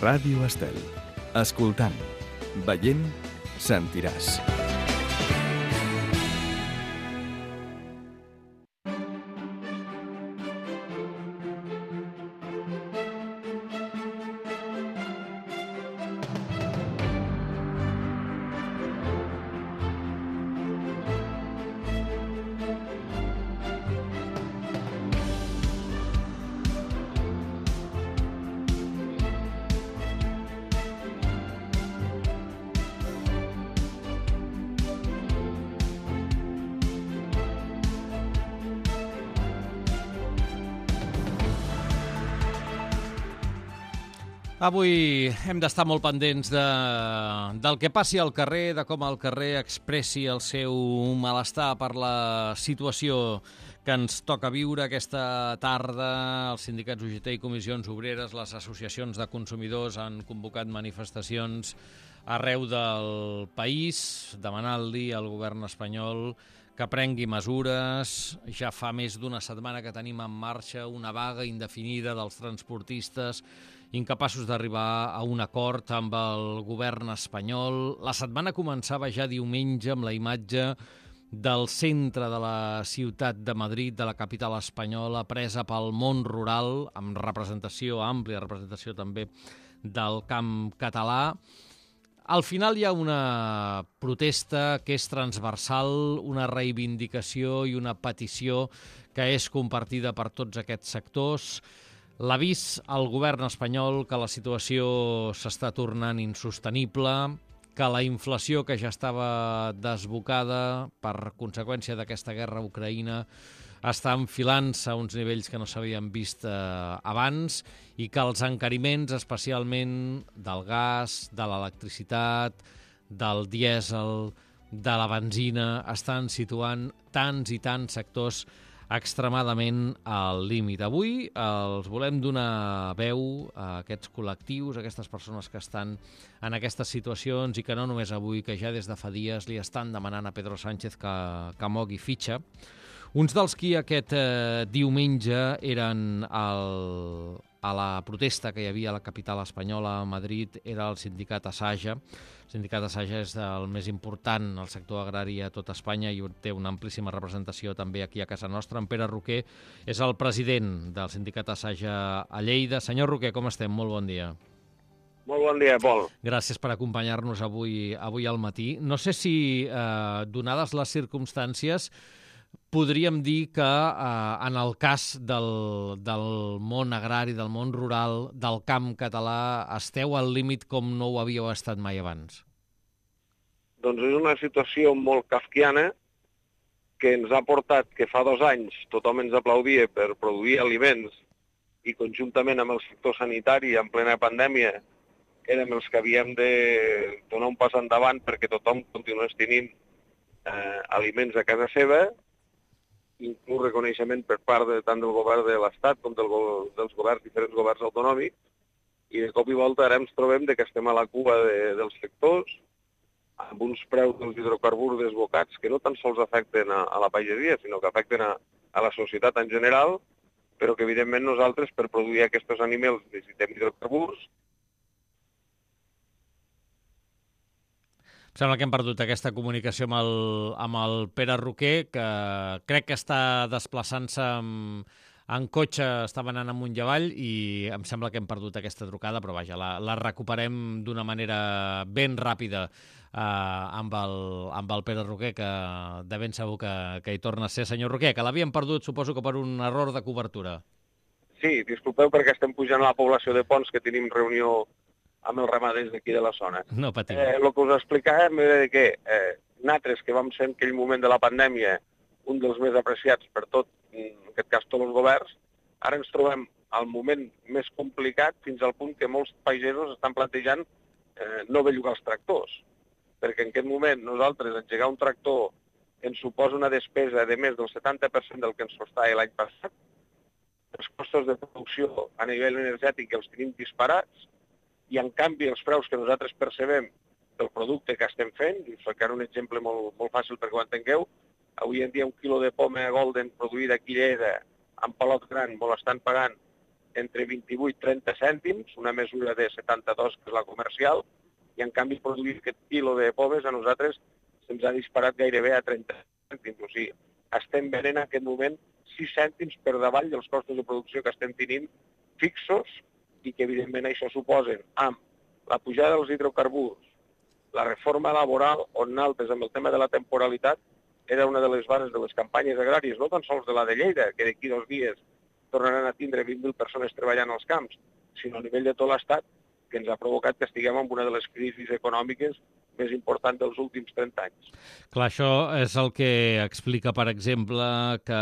Ràdio Estel. Escoltant, veient, sentiràs. Avui hem d'estar molt pendents del que passi al carrer, de com el carrer expressi el seu malestar per la situació que ens toca viure aquesta tarda. Els sindicats UGT i comissions obreres, les associacions de consumidors han convocat manifestacions arreu del país, demanant-li al govern espanyol que prengui mesures. Ja fa més d'una setmana que tenim en marxa una vaga indefinida dels transportistes, incapaços d'arribar a un acord amb el govern espanyol. La setmana començava ja diumenge amb la imatge del centre de la ciutat de Madrid, de la capital espanyola, presa pel món rural, amb representació, àmplia representació també del camp català. Al final hi ha una protesta que és transversal, una reivindicació i una petició que és compartida per tots aquests sectors. L'avís al govern espanyol que la situació s'està tornant insostenible, que la inflació, que ja estava desbocada per conseqüència d'aquesta guerra a Ucraïna, està enfilant-se a uns nivells que no s'havien vist abans, i que els encariments, especialment del gas, de l'electricitat, del dièsel, de la benzina, estan situant tants i tants sectors extremadament al límit. Avui els volem donar veu a aquests col·lectius, a aquestes persones que estan en aquestes situacions i que no només avui, que ja des de fa dies li estan demanant a Pedro Sánchez que mogui fitxa. Uns dels qui aquest diumenge eren a la protesta que hi havia a la capital espanyola, a Madrid, era el sindicat Asaja. El sindicat Asaja és el més important al sector agrari a tot Espanya i té una amplíssima representació també aquí a casa nostra. En Pere Roquer és el president del sindicat Asaja a Lleida. Senyor Roquer, com estem? Molt bon dia. Molt bon dia, Pol. Gràcies per acompanyar-nos avui al matí. No sé si, donades les circumstàncies, podríem dir que en el cas del món agrari, del món rural, del camp català, esteu al límit com no ho havíeu estat mai abans? Doncs és una situació molt kafkiana que ens ha portat que fa 2 anys tothom ens aplaudia per produir aliments i conjuntament amb el sector sanitari en plena pandèmia érem els que havíem de donar un pas endavant perquè tothom continués tenint aliments a casa seva, inclús reconeixement per part tant del govern de l'Estat com dels diferents governs autonòmics, i de cop i volta ara ens trobem que estem a la cua dels sectors, amb uns preus dels hidrocarburs desbocats que no tan sols afecten a la pagesia, sinó que afecten a la societat en general, però que evidentment nosaltres per produir aquests aliments necessitem hidrocarburs. Sembla que hem perdut aquesta comunicació amb el Pere Roquer, que crec que està desplaçant-se en cotxe, estava anant amunt i avall, i em sembla que hem perdut aquesta trucada, però vaja, la recuperem d'una manera ben ràpida amb el Pere Roquer, que de ben segur que hi torna a ser. Senyor Roquer, que l'havíem perdut, suposo que per un error de cobertura. Sí, disculpeu perquè estem pujant a la població de Pons, que tenim reunió amb els ramaders d'aquí de la zona. No patiu. El que us explicàvem era que nosaltres, que vam ser en aquell moment de la pandèmia un dels més apreciats per tot, en aquest cas tots els governs, ara ens trobem al moment més complicat fins al punt que molts pagesos estan plantejant no bellugar els tractors. Perquè en aquest moment nosaltres engegar un tractor ens suposa una despesa de més del 70% del que ens costava l'any passat. Els costos de producció a nivell energètic els tenim disparats, i en canvi els preus que nosaltres percebem del producte que estem fent, i us ficaré un exemple molt fàcil perquè ho entengueu, avui en dia un quilo de poma golden produïda aquí a Lleida amb palot gran me l'estan pagant entre 28 i 30 cèntims, una mesura de 72, que és la comercial, i en canvi produir aquest quilo de pomes a nosaltres se'ns ha disparat gairebé a 30 cèntims. O sigui, estem venent en aquest moment 6 cèntims per davall dels costos de producció que estem tenint fixos i que evidentment això suposen amb la pujada dels hidrocarburs, la reforma laboral, on naltres amb el tema de la temporalitat era una de les bases de les campanyes agràries, no tan sols de la de Lleida, que d'aquí 2 dies tornaran a tindre 20.000 persones treballant als camps, sinó a nivell de tot l'Estat, que ens ha provocat que estiguem en una de les crisis econòmiques més important dels últims 30 anys. Clar, això és el que explica, per exemple, que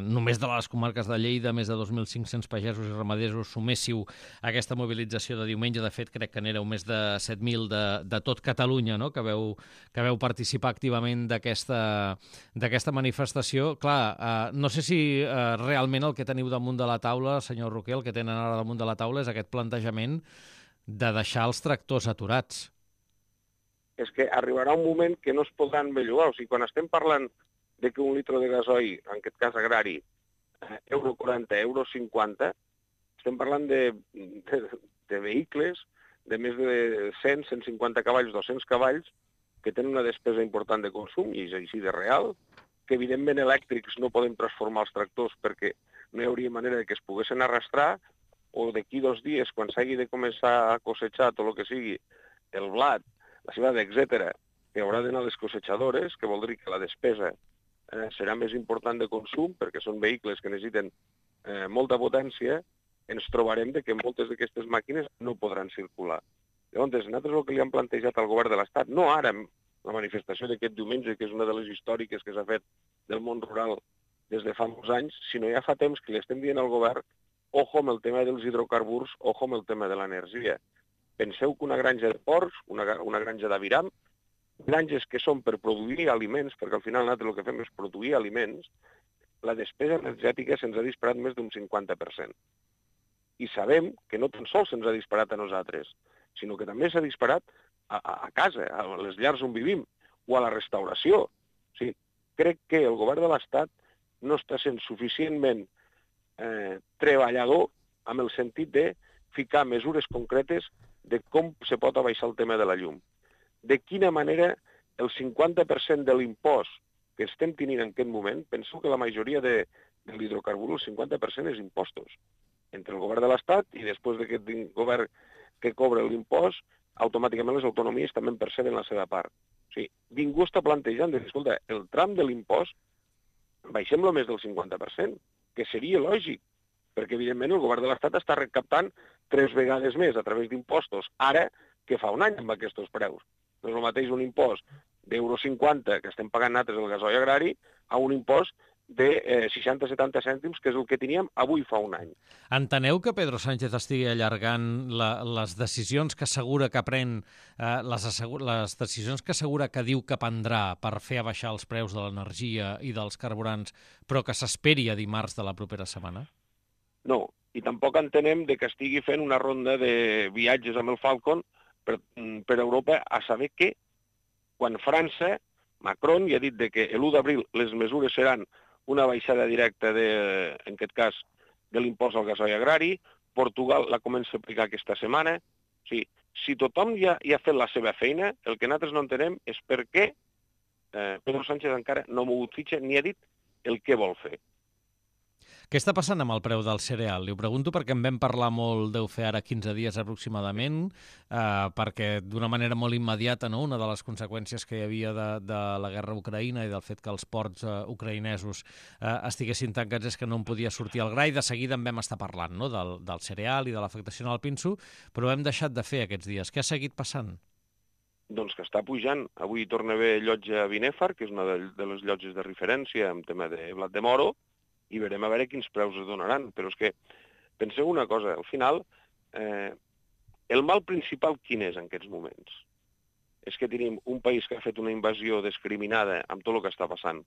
només de les comarques de Lleida més de 2.500 pagesos i ramaders suméssiu a aquesta mobilització de diumenge. De fet, crec que n'éreu més de 7.000 de tot Catalunya, no?, que veu participar activament d'aquesta manifestació. Clar, no sé si realment el que teniu damunt de la taula, senyor Roquer, el que tenen ara damunt de la taula és aquest plantejament de deixar els tractors aturats. És que arribarà un moment que no es podran bellugar. O sigui, quan estem parlant de que un litre de gasoil, en aquest cas agrari, €40, €50, estem parlant de vehicles de més de 100, 150 cavalls, 200 cavalls, que tenen una despesa important de consum, i és així de real, que evidentment elèctrics no podem transformar els tractors perquè no hi hauria manera que es poguessin arrastrar, o d'aquí 2 dies, quan s'hagi de començar a cosetxar tot el que sigui el blat, la cebada, etc., que haurà d'anar a les cosechadores, que vol dir que la despesa serà més important de consum, perquè són vehicles que necessiten molta potència, ens trobarem que moltes d'aquestes màquines no podran circular. Llavors, nosaltres el que li han plantejat al govern de l'Estat, no ara, la manifestació d'aquest diumenge, que és una de les històriques que s'ha fet del món rural des de fa molts anys, sinó ja fa temps que li estem dient al govern, ojo amb el tema dels hidrocarburs, ojo amb el tema de l'energia. Penseu que una granja de porcs, una granja d'aviram, granges que són per produir aliments, perquè al final nosaltres el que fem és produir aliments, la despesa energètica se'ns ha disparat més d'un 50%. I sabem que no tan sols se'ns ha disparat a nosaltres, sinó que també s'ha disparat a casa, a les llars on vivim, o a la restauració. O sigui, crec que el govern de l'Estat no està sent suficientment treballador amb el sentit de ficar mesures concretes de com se pot abaixar el tema de la llum. De quina manera el 50% de l'impost que estem tenint en aquest moment, penso que la majoria de l'hidrocarbur, el 50% és impostos. Entre el govern de l'Estat i després d'aquest govern que cobra l'impost, automàticament les autonomies també en perceben la seva part. O sigui, ningú està plantejant de dir, escolta, el tram de l'impost baixem-lo més del 50%, que seria lògic, perquè evidentment el govern de l'Estat està recaptant 3 vegades més a través d'impostos ara que fa un any amb aquests preus. No és el mateix un impost d'Euro 50 que estem pagant nosaltres el gasoil agrari a un impost de 60-70 cèntims, que és el que teníem avui fa un any. Enteneu que Pedro Sánchez estigui allargant les decisions que assegura que pren, les decisions que assegura que diu que prendrà per fer abaixar els preus de l'energia i dels carburants, però que s'esperi a dimarts de la propera setmana? No, i tampoc entenem que estigui fent una ronda de viatges amb el Falcon per Europa a saber que quan França, Macron ja ha dit que l'1 d'abril les mesures seran una baixada directa, en aquest cas, de l'impost al gasoil agrari. Portugal la comença a aplicar aquesta setmana. O sigui, si tothom ja ha fet la seva feina, el que nosaltres no entenem és per què Pedro Sánchez encara no ha mogut fitxa ni ha dit el que vol fer. Què està passant amb el preu del cereal? Li ho pregunto perquè en vam parlar molt, deu fer ara 15 dies aproximadament, perquè d'una manera molt immediata, no? Una de les conseqüències que hi havia de la guerra a Ucraïna i del fet que els ports ucraïnesos estiguessin tancats és que no en podia sortir el gra, i de seguida en vam estar parlant, no? Del cereal i de l'afectació al pinso, però hem deixat de fer aquests dies. Què ha seguit passant? Doncs que està pujant. Avui torna a haver llotja a Binèfar, que és una de les llotges de referència en tema de blat de moro, i veurem a veure quins preus es donaran. Però és que, penseu una cosa, al final, el mal principal quin és en aquests moments? És que tenim un país que ha fet una invasió discriminada amb tot el que està passant,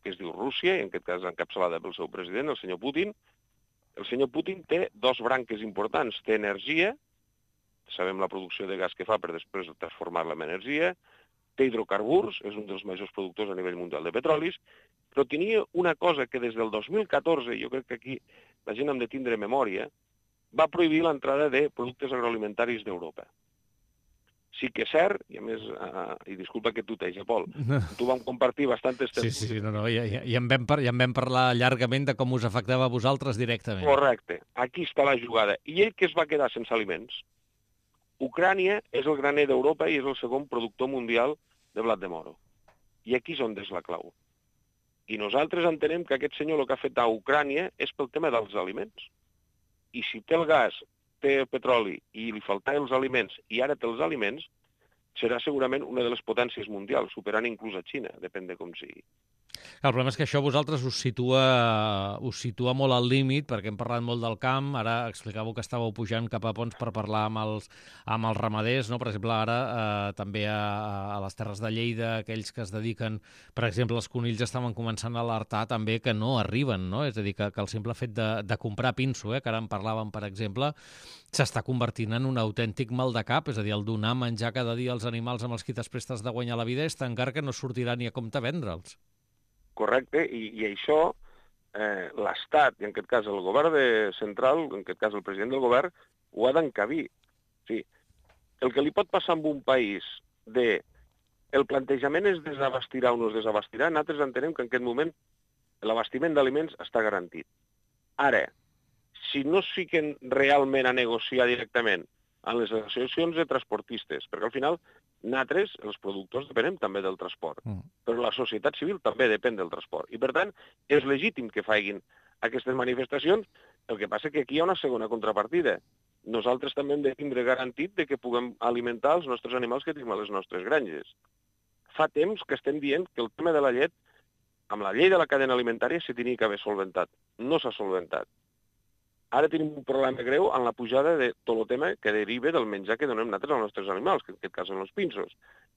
que es diu Rússia, i en aquest cas encapçalada pel seu president, el senyor Putin. El senyor Putin té 2 branques importants. Té energia, sabem la producció de gas que fa per després transformar-la en energia, té hidrocarburs, és un dels majors productors a nivell mundial de petrolis, però tenia una cosa que des del 2014, jo crec que aquí la gent hem de tindre memòria, va prohibir l'entrada de productes agroalimentaris d'Europa. Sí que és cert, i a més, i disculpa que tuteja, Pol, tu vam compartir bastantes... Sí, i en vam parlar llargament de com us afectava a vosaltres directament. Correcte, aquí està la jugada. I ell que es va quedar sense aliments? Ucrània és el graner d'Europa i és el segon productor mundial de blat de moro. I aquí és on és la clau. I nosaltres entenem que aquest senyor el que ha fet a Ucrània és pel tema dels aliments. I si té el gas, té el petroli i li faltaven els aliments i ara té els aliments, serà segurament una de les potències mundials, superant inclús a Xina, depèn de com sigui. El problema és que això a vosaltres us situa molt al límit, perquè hem parlat molt del camp, ara explicàveu que estàveu pujant cap a Ponts per parlar amb els ramaders, no? Per exemple, ara també a les Terres de Lleida, aquells que es dediquen, per exemple, els conills estaven començant a alertar també que no arriben, no? És a dir, que el simple fet de comprar pinso, que ara en parlàvem, per exemple, s'està convertint en un autèntic mal de cap, és a dir, el donar menjar cada dia als animals amb els qui t'esprestes de guanyar la vida és tan car que no sortirà ni a compte vendre'ls. Correcte, i això l'Estat, i en aquest cas el govern central, en aquest cas el president del govern, ho ha d'encabir. O sigui, el que li pot passar en un país el plantejament es desabastirà o no es desabastirà, nosaltres entenem que en aquest moment l'abastiment d'aliments està garantit. Ara, si no es fiquen realment a negociar directament en les associacions de transportistes, perquè al final nosaltres, els productors, depenem també del transport, però la societat civil també depèn del transport. I, per tant, és legítim que facin aquestes manifestacions. El que passa que aquí hi ha una segona contrapartida. Nosaltres també hem de tindre garantit de que puguem alimentar els nostres animals que tenim a les nostres granges. Fa temps que estem dient que el tema de la llet, amb la llei de la cadena alimentària, s'hi tenia que haver solventat. No s'ha solventat. Ara tenim un problema greu en la pujada de tot el tema que deriva del menjar que donem nosaltres als nostres animals, que en aquest cas són els pinsos.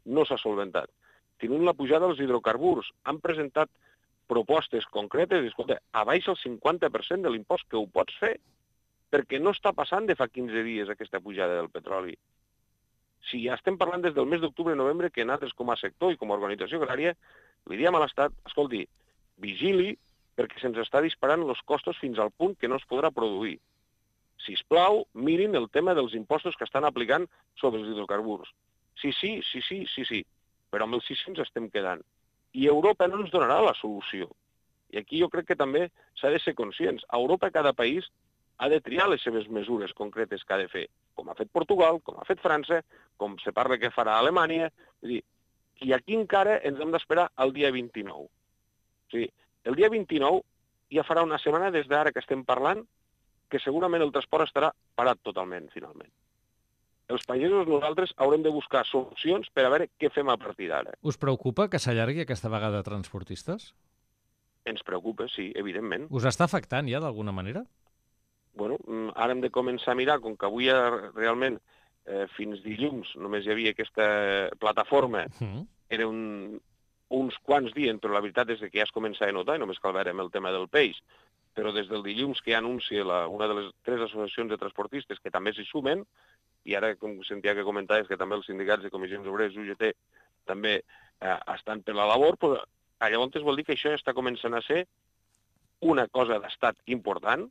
No s'ha solventat. Tenim la pujada dels hidrocarburs. Han presentat propostes concretes, escolta, abaixa el 50% de l'impost que ho pots fer, perquè no està passant de fa 15 dies aquesta pujada del petroli. Si ja estem parlant des del mes d'octubre-novembre que nosaltres com a sector i com a organització agrària li diem a l'Estat, escolti, vigili perquè se'ns està disparant els costos fins al punt que no es podrà produir. Sisplau, mirin el tema dels impostos que estan aplicant sobre els hidrocarburs. Sí, però amb els sí ens estem quedant. I Europa no ens donarà la solució. I aquí jo crec que també s'ha de ser conscients. A Europa cada país ha de triar les seves mesures concretes que ha de fer, com ha fet Portugal, com ha fet França, com se parla que farà Alemanya. I aquí encara ens hem d'esperar al dia 29. O sigui, el dia 29 ja farà una setmana des d'ara que estem parlant que segurament el transport estarà parat totalment, finalment. Els pagesos nosaltres haurem de buscar solucions per a veure què fem a partir d'ara. Us preocupa que s'allargui aquesta vegada transportistes? Ens preocupa, sí, evidentment. Us està afectant ja d'alguna manera? Bueno, ara hem de començar a mirar, com que avui realment fins dilluns només hi havia aquesta plataforma, era uns quants dies, però la veritat és que ja es comença a notar, i només cal veure amb el tema del peix, però des del dilluns que ja anuncia una de les 3 associacions de transportistes que també s'hi sumen, i ara, com sentia que comentaves, que també els sindicats de comissions obreres, UGT, també estan per la labor, però llavors vol dir que això ja està començant a ser una cosa d'estat important.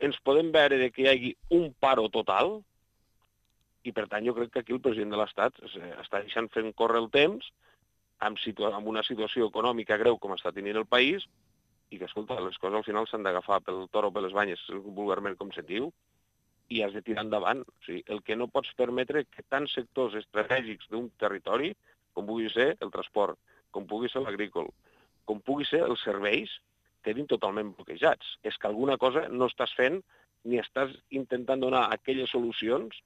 Ens podem veure que hi hagi un paro total, i per tant jo crec que aquí el president de l'Estat està deixant fent córrer el temps amb una situació econòmica greu com està tenint el país, i que, escolta, les coses al final s'han d'agafar pel toro o per les banyes, vulgarment com se'n diu, i has de tirar endavant. O sigui, el que no pots permetre que tants sectors estratègics d'un territori, com pugui ser el transport, com pugui ser l'agrícola, com pugui ser els serveis, quedin totalment bloquejats. És que alguna cosa no estàs fent ni estàs intentant donar aquelles solucions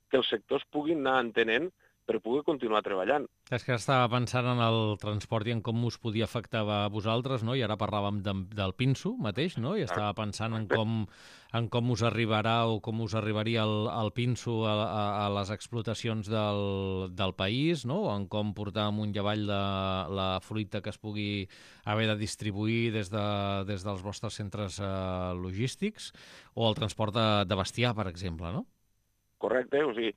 que els sectors puguin anar entenent per poder continuar treballant. És que estava pensant en el transport i en com us podia afectar a vosaltres, no? I ara parlàvem del pinso mateix, no? I estava pensant en com us arribarà o com us arribaria el pinso a les explotacions del país, no? O en com portar amunt i avall la fruita que es pugui haver de distribuir des dels vostres centres logístics, o el transport de bestiar, per exemple, no? Correcte, o sigui,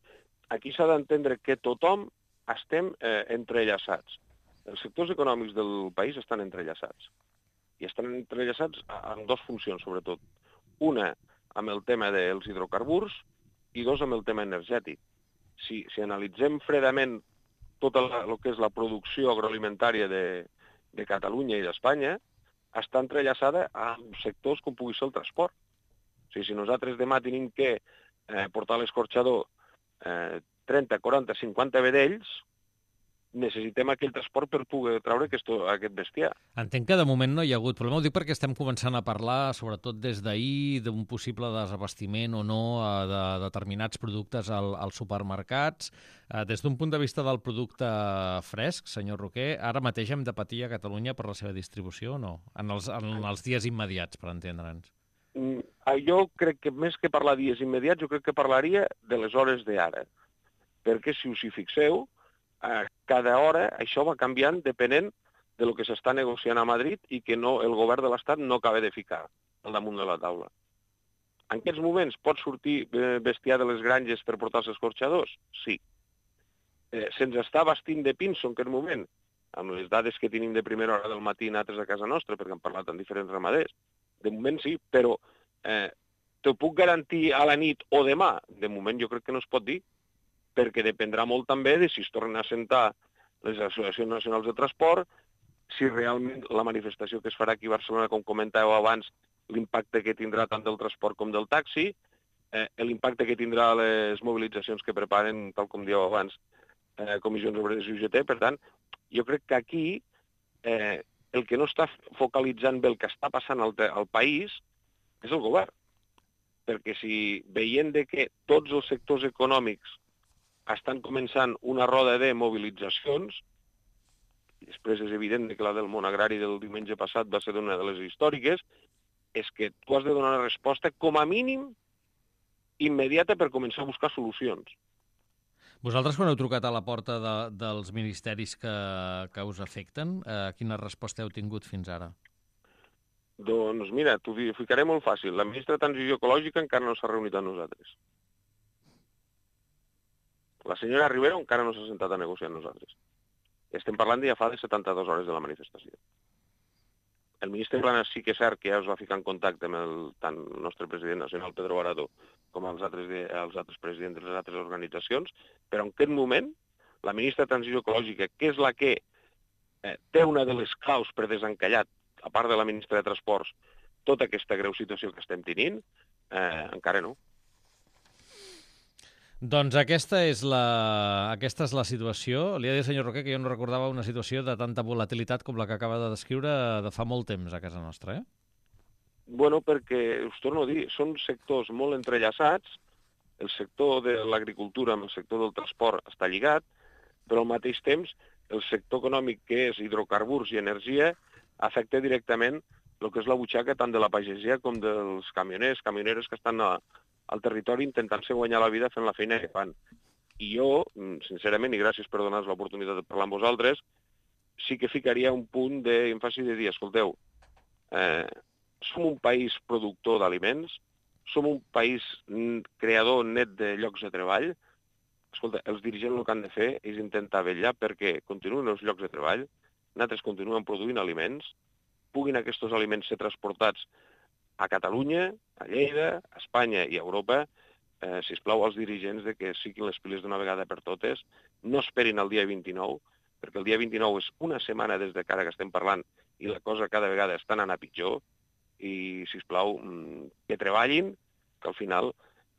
aquí s'ha d'entendre que tothom estem entrellaçats. Els sectors econòmics del país estan entrellaçats. I estan entrellaçats amb dues funcions, sobretot. Una, amb el tema dels hidrocarburs, i dos, amb el tema energètic. Si analitzem fredament tot el que és la producció agroalimentària de Catalunya i d'Espanya, està entrellaçada amb sectors com pugui ser el transport. O sigui, si nosaltres demà tenim que portar a l'escorxador 30, 40, 50 vedells, necessitem aquell transport per poder treure aquest bestiar. Entenc que de moment no hi ha hagut problema. Ho dic perquè estem començant a parlar, sobretot des d'ahir, d'un possible desabastiment o no de determinats productes als supermercats. Des d'un punt de vista del producte fresc, senyor Roquer, ara mateix hem de patir a Catalunya per la seva distribució o no? En els dies immediats, per entendre'ns. Jo crec que més que parlar dies immediats, jo crec que parlaria de les hores d'ara. Perquè si us hi fixeu, cada hora això va canviant depenent del que s'està negociant a Madrid i que el govern de l'Estat no acaba de ficar al damunt de la taula. En aquests moments pot sortir bestiar de les granges per portar als escorxadors? Sí. Se'ns està bastint de pinso en aquest moment, amb les dades que tenim de primera hora del matí nosaltres a casa nostra, perquè hem parlat amb diferents ramaders. De moment sí, però t'ho puc garantir a la nit o demà? De moment jo crec que no es pot dir, perquè dependrà molt també de si es tornen a assentar les associacions nacionals de transport, si realment la manifestació que es farà aquí a Barcelona, com comentàveu abans, l'impacte que tindrà tant del transport com del taxi, l'impacte que tindrà les mobilitzacions que preparen, tal com dieu abans, comissions obreres i UGT. Per tant, jo crec que aquí el que no està focalitzant bé el que està passant al país és el govern. Perquè si veient que tots els sectors econòmics estan començant una roda de mobilitzacions, i després és evident que la del món agrari del diumenge passat va ser una de les històriques, és que tu has de donar una resposta com a mínim immediata per començar a buscar solucions. Vosaltres, quan heu trucat a la porta dels ministeris que us afecten, quina resposta heu tingut fins ara? Doncs mira, t'ho ficaré molt fàcil. La ministra de Transició Ecològica encara no s'ha reunit amb nosaltres. La senyora Rivera encara no s'ha sentat a negociar amb nosaltres. Estem parlant de ja fa de 72 hores de la manifestació. El ministre Planas sí que és cert que ja es va ficar en contacte amb tant el nostre president nacional, Pedro Barado, com els altres presidents de les altres organitzacions, però en aquest moment la ministra de Transició Ecològica, que és la que té una de les claus per desencallar, a part de la ministra de Transports, tota aquesta greu situació que estem tenint, encara no. Doncs aquesta és la situació. Li he de dir, senyor Roquer, que jo no recordava una situació de tanta volatilitat com la que acaba de descriure de fa molt temps a casa nostra, Bueno, perquè, us torno a dir, són sectors molt entrellaçats, el sector de l'agricultura amb el sector del transport està lligat, però al mateix temps el sector econòmic que és hidrocarburs i energia afecta directament el que és la butxaca tant de la pagesia com dels camioneres que estan al territori intentant-se guanyar la vida fent la feina que fan. I jo, sincerament, i gràcies per donar-nos l'oportunitat de parlar amb vosaltres, sí que ficaria un punt d'èmfasi de dir, escolteu, som un país productor d'aliments, som un país creador net de llocs de treball. Escolta, els dirigents el que han de fer és intentar vetllar perquè continuïn els llocs de treball, nosaltres continuem produint aliments, puguin aquests aliments ser transportats a Catalunya, a Lleida, a Espanya i a Europa. Sisplau als dirigents de que siguin les piles d'una vegada per totes, no esperin el dia 29, perquè el dia 29 és una setmana des de que ara que estem parlant i la cosa cada vegada està anant a pitjor, i, sisplau, que treballin, que al final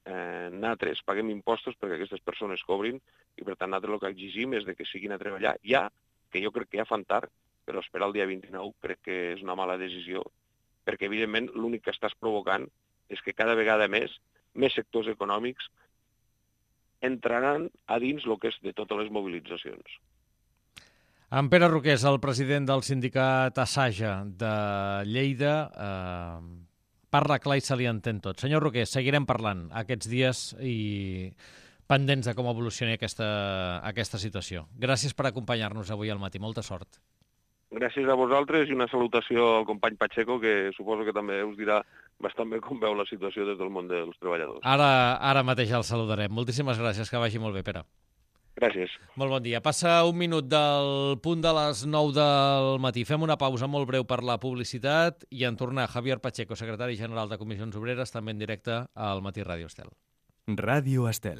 nosaltres paguem impostos perquè aquestes persones cobrin, i per tant nosaltres el que exigim és que siguin a treballar ja, que jo crec que ja fan tard, però esperar el dia 29 crec que és una mala decisió, perquè evidentment l'únic que estàs provocant és que cada vegada més sectors econòmics entraran a dins el que és de totes les mobilitzacions. En Pere Roquer és el president del sindicat Asaja de Lleida. Parla clar i se li entén tot. Senyor Roquer, seguirem parlant aquests dies i pendents de com evolucioni aquesta situació. Gràcies per acompanyar-nos avui al matí. Molta sort. Gràcies a vosaltres i una salutació al company Pacheco, que suposo que també us dirà bastant bé com veu la situació des del món dels treballadors. Ara mateix el saludarem. Moltíssimes gràcies, que vagi molt bé, Pere. Gràcies. Molt bon dia. Passa un minut del punt de les 9 del matí. Fem una pausa molt breu per la publicitat i en tornar Javier Pacheco, secretari general de Comissions Obreres, també en directe al Matí Ràdio Estel. Ràdio Estel.